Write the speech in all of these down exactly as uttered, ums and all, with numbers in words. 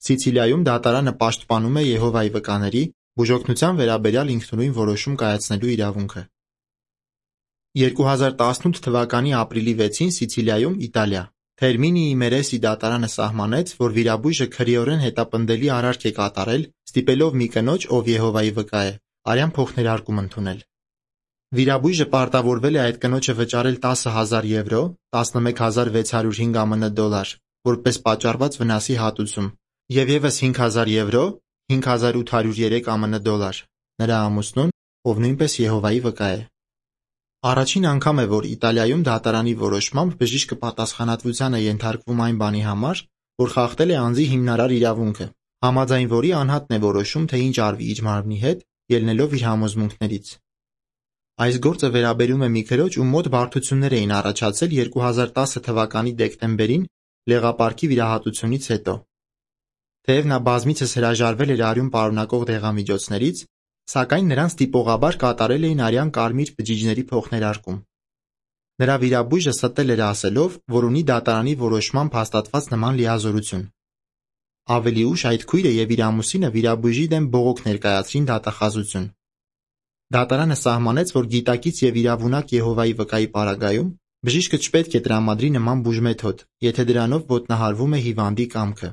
Սիցիլիայում դատարանը պաշտպանում է Եհովայի վկաների բուժօգնության վերաբերյալ ինքնուրույն որոշում կայացնելու իրավունքը։ երկու հազար տասնութ թվականի ապրիլի վեցին Սիցիլիայում, Իտալիա, Թերմինիի Մերեսի դատարանը սահմանեց, որ վիրաբույժը քրեորեն հետապնդելի արարք է կատարել, ստիպելով մի կնոջ, ով Եհովայի վկա է, արյան փոխներարկում ընդունել։ Վիրաբույժը պարտավորվել է այդ կնոջը վճարել տասը հազար եվրո (տասնմեկ հազար վեց հարյուր հինգ ԱՄՆ դոլար) որպես պատճառված վնասի հատուցում և ևս հինգ հազար եվրո (հինգ հազար ութ հարյուր երեք ԱՄՆ դոլար) նրա ամուսնուն, ով նույնպես Եհովայի վկա է։ Առաջին անգամ է, որ Իտալիայում դատարանի որոշմամբ բժիշկը պատասխանատվության է ենթարկվում այն բանի համար, որ խախտել է անձի հիմնարար իրավունքը, համաձայն որի անհատն է որոշում, թե ինչ արվի իր մարմնի հետ, ելնելով իր համոզմունքներից։ Այս գործը վերաբերում է մի քրոջ, ում մոտ բարդություններ էին առաջացել երկու հազար տասը թվականի դեկտեմբերին լեղապարկի վիրահատությունից հետո։ Թեև նա բազմիցս հրաժարվել էր արյուն պարունակող դեղամիջոցներից, սակայն նրան ստիպողաբար կատարել էին արյան կարմիր բջիջների փոխներարկում։ Նրա վիրաբույժը ստել էր ասելով, որ ունի դատարանի որոշմամբ հաստատված նման լիազորություն։ Ավելի ուշ այդ քույրը և իր ամուսինը վիրաբույժի դեմ բողոք ներկայացրին դատախազություն։ Դատարանը սահմանեց, որ գիտակից և իրավունակ Եհովայի վկայի պարագայում բժիշկը չպետք է տրամադրի նման բուժմեթոդ, եթե դրանով ոտնահարվում է հիվանդի կամքը։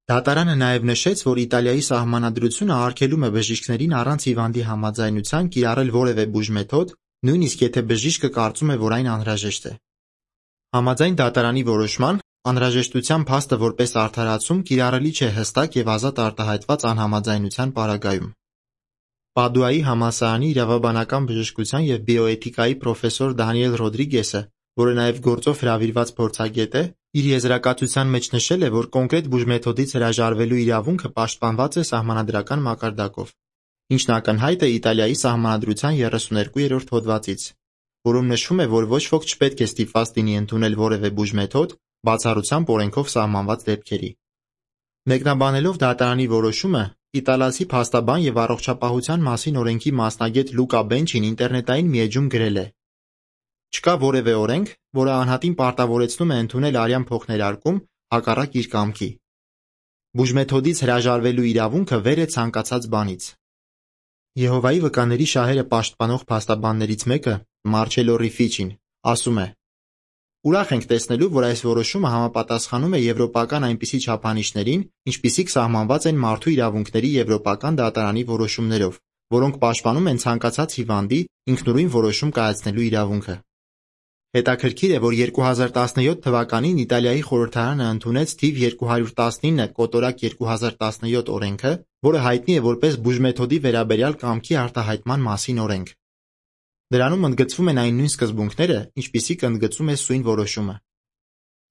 Դատարանը նաև նշեց, որ Իտալիայի սահմանադրությունը արգելում է բժիշկներին առանց հիվանդի համաձայնության կիրառել որևէ բուժմեթոդ, նույնիսկ եթե բժիշկը կարծում է, որ այն անհրաժեշտ է։ Համաձայն դատարանի որոշման, անհրաժեշտության փաստը որպես արդարացում կիրառելի չէ հստակ և ազատ արտահայտված անհամաձայնության պարագայում։ Պադուայի համալսարանի իրավաբանական բժշկության և բիոէթիկայի պրոֆեսոր Դանիել Ռոդրիգեսը, որը նաև գործով հրավիրված փորձագետ է, իր եզրակացության մեջ նշել է, որ կոնկրետ բուժմեթոդից հրաժարվելու իրավունքը պաշտպանված է սահմանադրական մակարդակով, ինչն ակնհայտ է Իտալիայի սահմանադրության երեսուներկուերորդ հոդվածից, որում նշվում է, որ ոչ ոք չպետք է ստիպված լինի ընդունել որևէ բուժմեթոդ բացառությամբ օրենքով սահմանված դեպքերի։ Մեկնաբանելով դատարանի որոշումը, իտալացի փաստաբան և առողջապահության մասին օրենքի մասնագետ Լուկա Բենչին ինտերնետային մի էջում գրել է. «Չկա որևէ օրենք, որը անհատին պարտավորեցնում է ընդունել արյան փոխներարկում հակառակ իր կամքի։ Բուժմեթոդից հրաժարվելու իրավունքը վեր է ցանկացած բանից»։ Եհովայի վկաների շահերը պաշտպանող փաստաբաններից մեկը՝ Մարչելո Ռիֆիչին, ասում է. «Ուրախ ենք տեսնելու, որ այս որոշումը համապատասխանում է եվրոպական այնպիսի չափանիշներին, ինչպիսիք սահմանված են մարդու իրավունքների եվրոպական դատարանի որոշումներով, որոնք պաշտպանում են ցանկացած հիվանդի ինքնուրույն որոշում կայացնելու իրավունքը»։ Հետաքրքիր է, որ երկու հազար տասնյոթ թվականին Իտալիայի խորհրդարանը ընդունեց թիվ երկու հարյուր տասնինը կոտորակ երկու հազար տասնյոթ օրենքը, որը հայտնի է որպես բուժմեթոդի վերաբերյալ կամքի արտահայտման մասին օրենք։ Դրանում ընդգծվում են այն նույն սկզբունքները, ինչպիսիք ընդգծում է սույն որոշումը։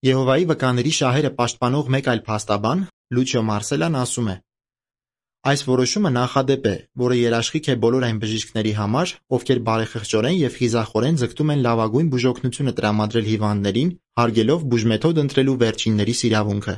Եհովայի վկաների շահերը պաշտպանող մեկ այլ փաստաբան՝ Լուչիո Մարսելան, ասում է. «Այս որոշումը նախադեպ է, որը երաշխիք է բոլոր այն բժիշկների համար, ովքեր բարեխղճորեն և խիզախորեն ձգտում են լավագույն բուժօգնությունը տրամադրել հիվանդներին, հարգելով բուժմեթոդ ընտրելու վերջիններիս իրավունքը»։